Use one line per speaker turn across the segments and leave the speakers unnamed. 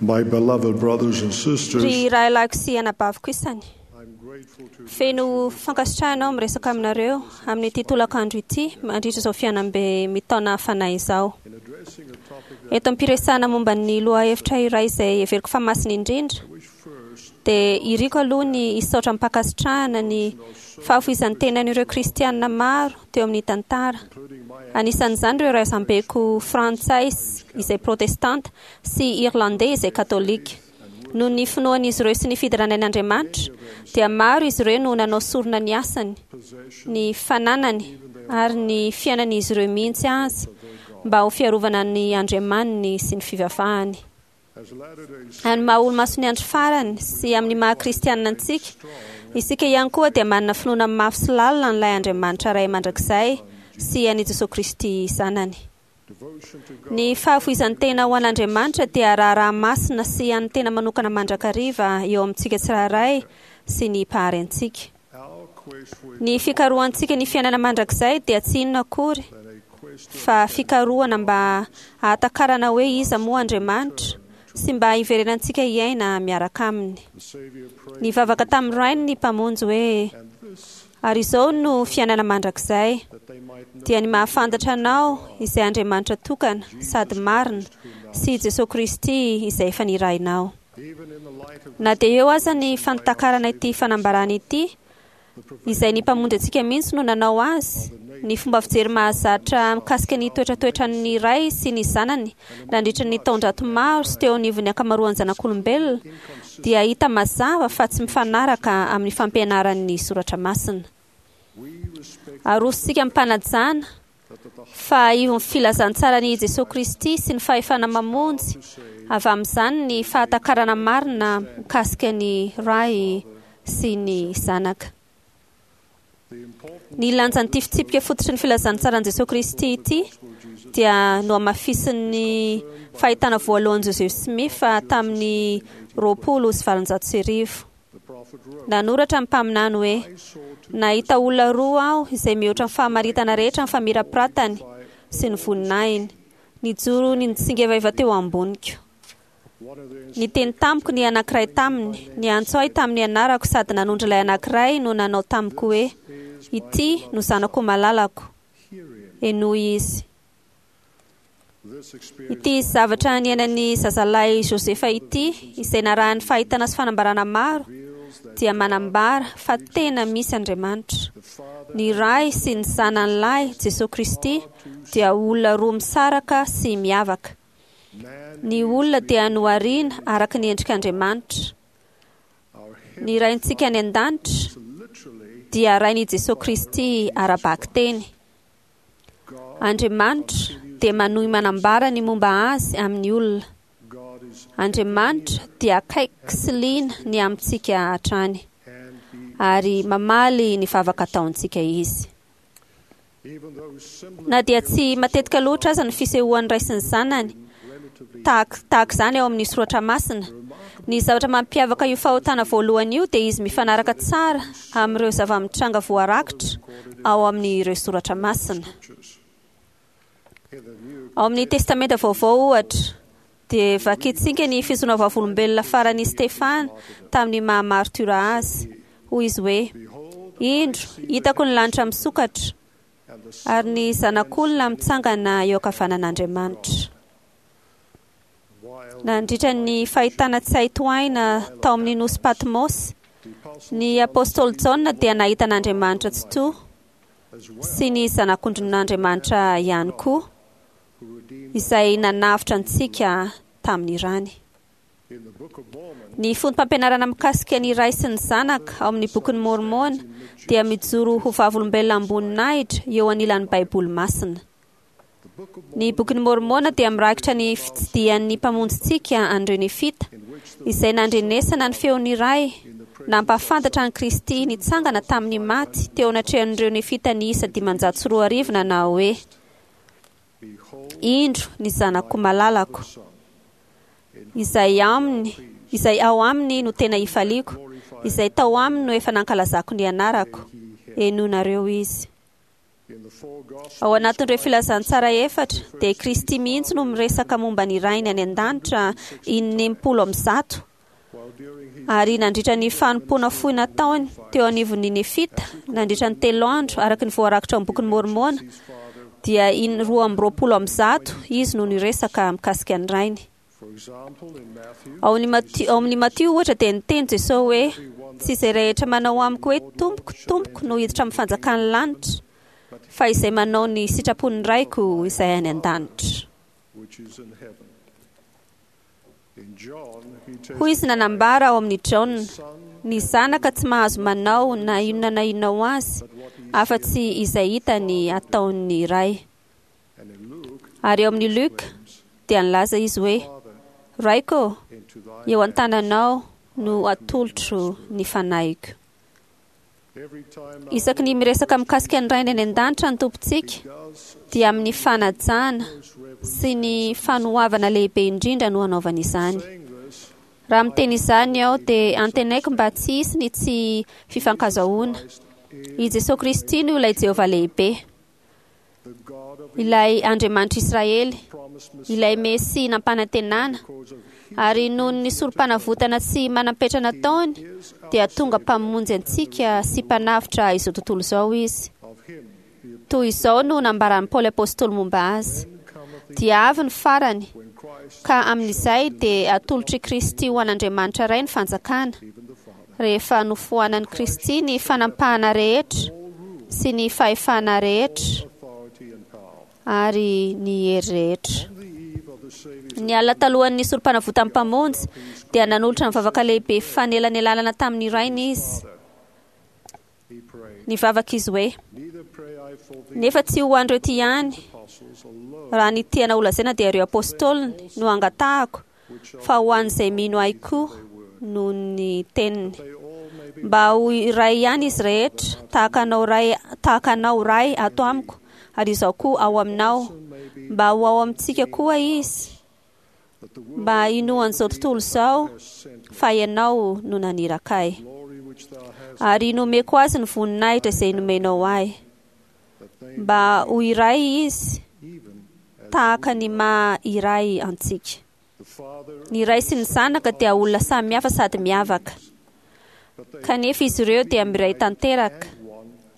My beloved brothers and sisters,
Ry rahalahiko sy anabaviko isany,
I'm grateful to
feno fankasitrahana aho miresaka aminareo amin'ity tolakandro ity mandritra izao fiainam-be mitaona fanahy izao.
in addressing a topic that
Eto am-piresahana momba ny lohahevitra iray izay heveriko fa masina indrindra,
I wish first
dia iriko aloha ny hisaotra am-pankasitrahana ny fahafoizan'ny tenan'ireo kristianina maro teo amin'ny tantara.
including my
Anisan'izany ireo razambeko frantsay izay protestanta sy irlandais izay katolika. Noho ny finoan'izy ireo sy ny fiderana an'Andriamanitra, dia maro izy ireo no nanao sorona ny asany,
possession
ny fananany ary ny fiainan'izy ireo mihitsy aza mba ho fiarovana ny Andriamaniny sy ny fivavahany.
as Latter-day Saints
Amin'ny maha olo-mason'ny andro farany sy amin'ny maha kristianina antsika, isika ihany koa dia manana finoana mafy sy lalina an'ilay Andriamanitra Ray mandrakizay sy an'i Jesoa Kristy Zanany.
devotion to God
Ny fahafoizan'ny tena ho an'Andriamanitra dia raharaha masina sy an'ny tena manokana mandrakariva eo amintsika tsirairay sy ny mpahary antsika.
our quest for
Ny fikarohantsika ny fiainana mandrakizay dia tsy inona akory
than a quest to
fa fikarohana mba hahatakarana hoe iza moa Andriamanitra sy mba hiverenantsika hiaina miaraka aminy.
the Savior prayed
Nivavaka tamin'ny Rainy ny Mpamonjy hoe
and this
ary izao no fiainana mandrakizay
that they might know
dia ny mahafantatra anao izay Andriamanitra tokana sady marina sy Jesoa Kristy izay efa nirahinao.
even in the light of
Na dia eo aza ny fantakarana ity fanambarana ity, izay ny mpamonjy antsika mihitsy no nanao azy, ny fomba fijery mahazatra mikasika ny toetratoetran'ny Ray sy ny Zanany nandritra ny taonjato maro sy teo anivon'ny ankamaroan'ny zanak'olombelona dia hita mazava fa tsy mifanaraka amin'ny fampianaran'ny soratra masina.
we respect
Arosontsika am-panajana
that at the
fa ivon'ny filazantsaran'i Jesoa Kristy sy ny fahefana mamonjy avy amin'izany ny fahatakarana marina mikasika ny Ray sy ny Zanaka.
the important
Ny lanjan'ity fitsipika fototry ny filazantsaran'i Jesoa Kristy ity dia nohamafisin'ny fahitana voalohan'i Joseph Smith tamin'ny 1820.
the prophet wrote
Nanoratra ny mpaminany hoe
I saw two
nahita olona roa aho izay mihoatra ny fahamaritana rehetra ny famirapiratany sy ny voninahiny. Nijoro nitsingevaiva teo amboniko.
one of the
Niteny tamiko ny anankiray taminy, niantso ahy tamin'ny anarako sady nanondro ilay anankiray no nanao tamiko hoe ity no zanako malalako,
hear him
henoy izy.
this experience
Ity zavatra niainan'ny zazalahy Josefa ity, izay narahan'ny fahitana sy fanambarana maro,
reveals that
dia manambara fa tena misy Andriamanitra.
the Father
Ny Ray sy ny Zanany lahy, Jesoa Kristy, dia olona roa misaraka sy miavaka.
man
Ny olona dia nohariana araka ny endrik'Andriamanitra.
our
Ny Raintsika any an-danitra
is literally
dia Rain'i Jesoa Kristy ara-bakiteny.
God
Andriamanitra dia manohy manambara ny momba azy amin'ny olona.
God is
Andriamanitra dia akaiky sy liana ny amintsika hatrany
and he
ary mamaly ny vavaka ataontsika izy.
even though similar
Na dia tsy matetika loatra aza ny fisehoan'ny Ray sy ny Zanany
relatively
tahak- tahaka izany ao amin'ny soratra masina, ny zavatra mampiavaka io fahotana voalohany io dia izy mifanaraka tsara amin'ireo zava-mitranga voarakitra ao amin'ireo soratra masina.
scriptures in the new
Ao amin'ny Testamenta Vaovao ohatra, dia vakintsika ny fizoana vavolombelona faran'i Stefana tamin'ny maha martyra azy. Hoy izy hoe:
behold
Indro, hitako ny lanitra misokatra
and the
ary ny zanak'olona mitsangana eo ankavanan'Andriamanitra.
while
Nandritra ny fahitana tsy hay tohaina tao amin'ny nosy Patmos,
the apostle
ny apôstôly Jaona dia nahita an'Andriamanitra Tsitoha
as well
sy ny zanak'ondrin'Andriamanitra ihany koa,
who redeemed
izay nanavotra antsika tamin'ny rany.
in the book of Mormon
Ny fotom-pampianarana mikasika ny Ray sy ny Zanaka ao amin'ny bokin'ny Môrmôna dia mijoro ho vavolombelona amboninahitra eo anilan'ny Baiboly masina.
the book of
Ny bokin'ny Môrmôna dia mirakitra ny fitsidihan'ny mpamonjintsika an'ireo Nefita,
in which the
izay nandrenesana ny feon'ny Ray
in the presence
nampahafantatra an'i Kristy nitsangana tamin'ny maty teo anatrehan'ireo Nefita niisa 2500 nanao hoe
behold
Indro ny zanako malalako,
son
izay aminy, izay ao aminy no tena ifaliako, izay tao aminy no efa nankalazako ny anarako.
he
Henoinareo izy. Ao anatin'ireo filazantsara efatra dia Kristy mihitsy no miresaka momba ny Rainy any an-danitra 160. Ary nandritra ny fanompoana fohy nataony teo anivon'ny Nefita nandritra ny 3 andro araka ny voarakitra ao amin'ny bokin'i Môrmôna dia 122 izy no niresaka mikasika ny Rainy. Ao amin'ny Matio ohatra dia niteny Jesosy hoe tsy izay rehetra manao amiko hoe tompoko tompoko no hiditra amin'ny fanjakan'ny lanitra fa izay manao ny sitrapon'ny Raiko izay any an-danitra. Hoy izy nanambara ao amin'ny Jaona, ny zanaka tsy mahazo manao na inona na inona ho azy afa-tsy izay hitany ataon'ny Ray. Ary ao amin'ny Luka dia nilaza izy hoe Raiko, eo an-tananao no atolotro ny fanahiko. Isaky ny miresaka mikasika ny Rainy any an-danitra ny Tompontsika dia amin'ny fanajana sy ny fanoavana lehibe indrindra no anaovany izany. Raha miteny izany aho dia antenaiko mba tsy hisy ny tsy fifankazahoana. I Jesosy Kristy no ilay Jehovah lehibe, ilay Andriamanitra Israely, ilay Mesia nampanantenana, ary noho ny sorom-panavotana tsy manam-petra nataony dia tonga mpamonjy antsika sy mpanavotra izao tontolo izao izy. Toy izao no nambaran'i Paoly Apostoly momba azy: dia avy ny farany, ka amin'izay dia atolotr'i Kristy ho an'Andriamanitra Ray ny fanjakana, rehefa nofoanan'i Kristy ny fanampahana rehetra sy ny fahefana rehetra ary ny hery rehetra. Ny alina talohan'ny sorom-panavotan'ny Mpamonjy dia nanolotra ny vavaka lehibe fanelanelanana tamin'ny Rainy izy. Nivavaka izy hoe: nefa tsy ho an'ireo ty ihany, raha ny tiana holazaina dia ireo apôstôliny no angatahako, fa ho an'izay mino ahy koa noho ny teniny, mba ho iray ihany izy rehetra, tahaka anao Ray ato amiko, ary izaho koa ao aminao, mba ho ao amintsika koa izy, mba hinoan'izao tontolo izao fa ianao no naniraka ahy. Ary nomeko azy ny voninahitra izay nomenao ahy, mba ho iray izy tahaka ny maha iray antsika. Ny Ray sy ny Zanaka dia olona samihafa sady miavaka, kanefa izy ireo dia miray tanteraka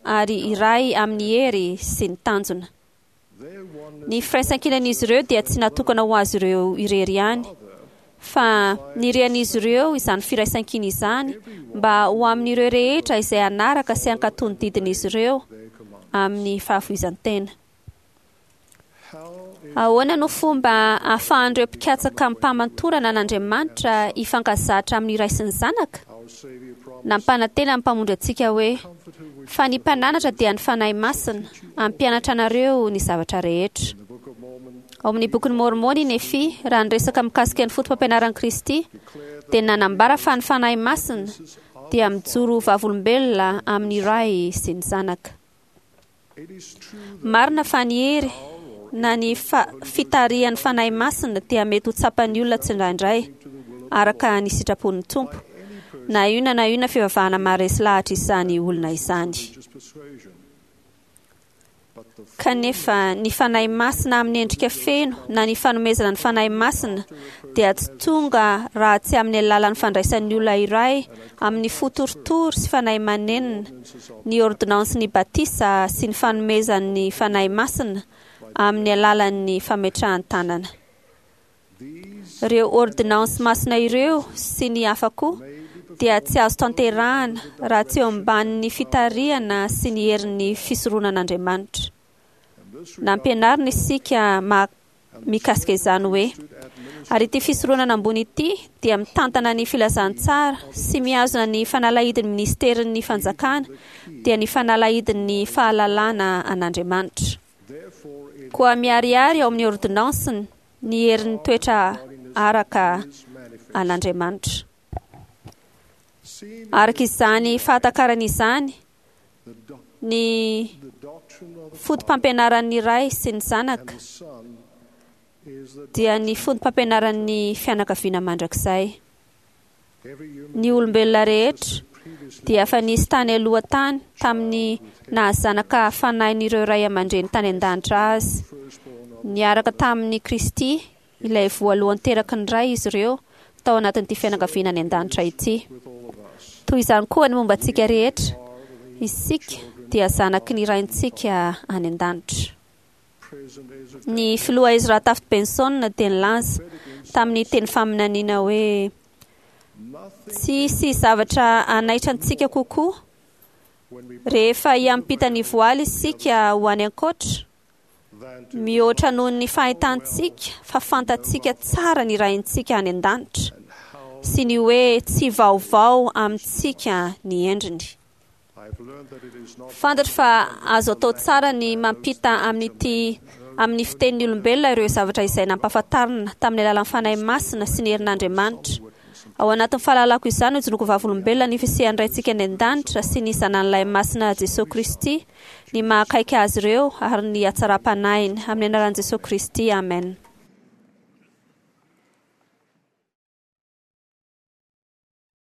ary iray amin'ny hery sy ny tanjona. Ny firaisankinan'izy ireo dia tsy natokana ho azy ireo irery ihany, fa nirian'izy ireo izany firaisankina izany mba ho amin'ireo rehetra izay hanaraka sy hankatò ny didin'izy ireo amin'ny fahafoizan-tena. Ahoana no fomba ahafahan'ireo mpikatsaka amim-pamantorana an'Andriamanitra hifankazatra amin'ny Ray sy ny Zanaka? Nampanantena ny Mpamonjy antsika hoe: fa ny mpananatra dia ny Fanahy Masina, hampianatra anareo ny zavatra rehetra. Ao amin'ny bokin'i Môrmôna i Nefy, raha niresaka mikasika ny foto-pampianaran'i Kristy, dia nanambara fa ny Fanahy Masina dia mijoro ho vavolombelona amin'ny Ray sy ny Zanaka. Marina fa ny hery na ny fitarihan'ny Fanahy Masina dia mety ho tsapan'ny olona tsindraindray araka ny sitrapon'ny Tompo, na inona na inona fivavahana maharesy lahatra izany olona izany. Kanefa ny Fanahy Masina amin'ny endrika feno na ny fanomezana ny Fanahy Masina dia tsy tonga raha tsy amin'ny alalan'ny fandraisan'ny olona iray amin'ny fo torotoro sy fanahy manenina ny ordonansin'ny batisa sy ny fanomezan'ny Fanahy Masina amin'ny alalan'ny fametrahan-tanana. Ireo ordinansy masina ireo sy ny hafa koa dia tsy azo tanterahana raha tsy eo ambanin'ny fitarihana sy ny herin'ny fisoronan'Andriamanitra. Nampianarina isika mikasika izany hoe: ary ity fisoronana ambony ity dia mitantana ny filazantsara sy mihazona ny fanalahidin'ny ministerin'ny fanjakana, dia ny fanalahidin'ny fahalalana an'Andriamanitra. Koa miharihary ao amin'ny ordinansiny ny herin'ny toetra araka an'Andriamanitra. Araka izany fahatakarana izany, ny foto-pampianaran'ny Ray sy ny Zanaka dia ny foto-pampianaran'ny fianakaviana mandrakizay. Ny olombelona rehetra dia efa nisy tany aloha tany tamin'ny nahazanaka fanahin'ireo ray aman-dreny tany an-danitra azy. Niaraka tamin'i Kristy, ilay voalohany teraky ny Ray izy ireo tao anatin'ity fianakaviana any an-danitra ity. Toy izany koa ny momba antsika rehetra, isika dia zanaky ny Raintsika any an-danitra. Ny filoha Ezra Taft Benson dia nilaza tamin'ny teny faminaniana hoe, Tsy hisy zavatra hanaitra antsika kokoa rehefa hiampita ny voaly isika ho any ankoatra, mihoatra noho ny fahitantsika fa fantatsika tsara ny Raintsika any an-danitra sy ny hoe tsy vaovao amintsika ny endriny. Fantatro fa azo atao tsara ny mampita amin'ity amin'ny fitenin'ny olombelona ireo zavatra izay nampahafantarina tamin'ny alalan'ny Fanahy Masina sy ny herin'Andriamanitra. Ao anatin'ny fahalalako izany no ijoroako vavolombelona ny fisian'ny Raintsika any an-danitra sy ny Zanany Lahy Masina Jesoa Kristy, ny maha akaiky Azy ireo ary ny hatsaram-panahiny. Amin'ny anaran'i Jesoa Kristy, amen.